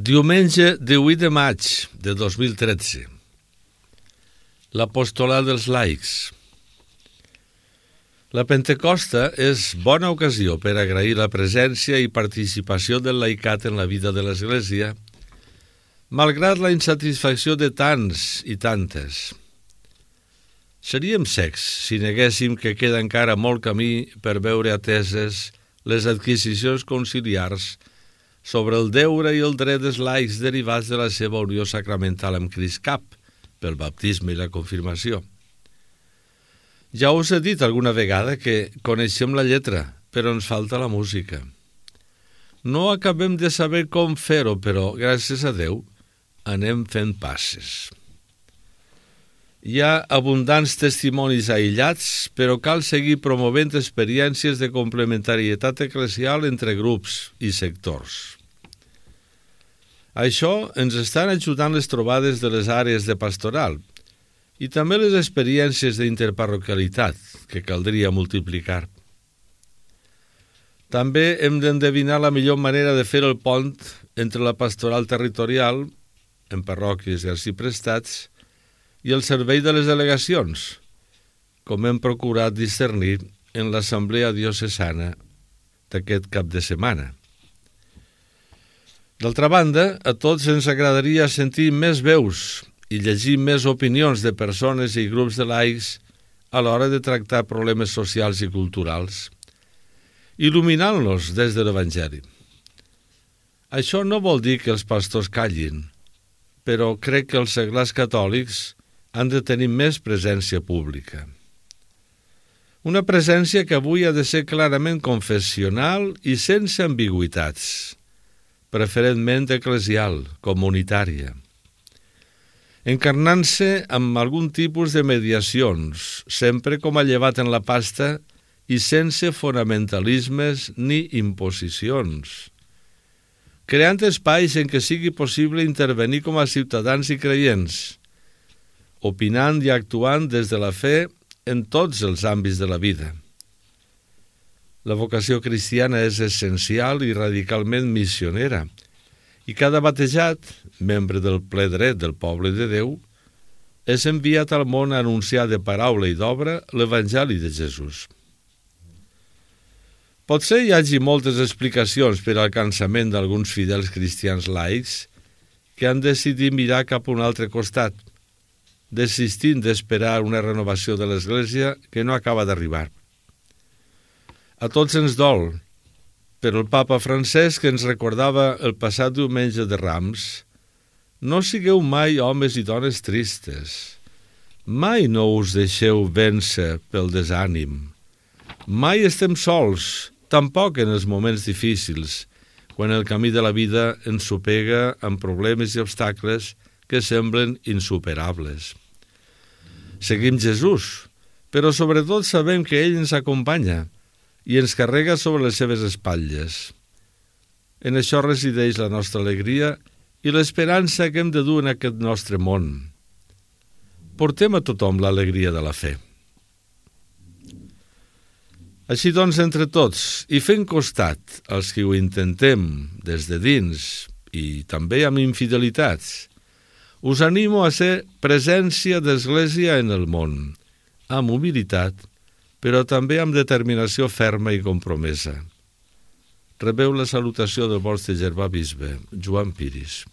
Diumenge 18 de maig de 2013. L'apostolat dels laics. La Pentecosta és bona ocasió per agrair la presència i participació del laicat en la vida de l'Església, malgrat la insatisfacció de tants i tantes. Seríem cecs si neguéssim que queda encara molt camí per veure ateses les adquisicions conciliars sobre el deure i el dret dels laics derivats de la seva unió sacramental amb Crist Cap, pel baptisme i la confirmació. Ja us he dit alguna vegada que coneixem la lletra, però ens falta la música. No acabem de saber com fer-ho, però, gràcies a Déu, anem fent passes. Hi ha abundants testimonis aïllats, però cal seguir promovent experiències de complementarietat eclesial entre grups i sectors. Això ens estan ajudant les trobades de les àrees de pastoral i també les experiències d'interparroquialitat, que caldria multiplicar. També hem d'endevinar la millor manera de fer el pont entre la pastoral territorial, en parròquies i arxiprestats, i el servei de les delegacions, com hem procurat discernir en l'assemblea diocesana d'aquest cap de setmana. D'altra banda, a tots ens agradaria sentir més veus i llegir més opinions de persones i grups de laics a l'hora de tractar problemes socials i culturals, il·luminant-los des de l'Evangeli. Això no vol dir que els pastors callin, però crec que els seglars catòlics han de tenir més presència pública. Una presència que avui ha de ser clarament confessional i sense ambigüitats, preferentment eclesial, comunitària, encarnant-se amb algun tipus de mediacions, sempre com a llevat en la pasta i sense fonamentalismes ni imposicions, creant espais en què sigui possible intervenir com a ciutadans i creients, opinant i actuant des de la fe en tots els àmbits de la vida. La vocació cristiana és essencial i radicalment missionera, i cada batejat, membre del ple dret del poble de Déu, és enviat al món a anunciar de paraula i d'obra l'Evangeli de Jesús. Potser hi hagi moltes explicacions per al cansament d'alguns fidels cristians laics que han decidit mirar cap a un altre costat, desistint d'esperar una renovació de l'Església que no acaba d'arribar. A tots ens dol, però el papa Francesc ens recordava el passat diumenge de Rams: no sigueu mai homes i dones tristes, mai no us deixeu vèncer pel desànim, mai estem sols, tampoc en els moments difícils, quan el camí de la vida ens sopega amb problemes i obstacles que semblen insuperables. Seguim Jesús, però sobretot sabem que ell ens acompanya i ens carrega sobre les seves espatlles. En això resideix la nostra alegria i l'esperança que hem de dur en aquest nostre món. Portem a tothom l'alegria de la fe. Així doncs, entre tots, i fent costat als que ho intentem des de dins i també amb infidelitats, us animo a ser presència d'Església en el món, amb humilitat, però també amb determinació ferma i compromesa. Rebeu la salutació del vostre germà bisbe, Joan Piris.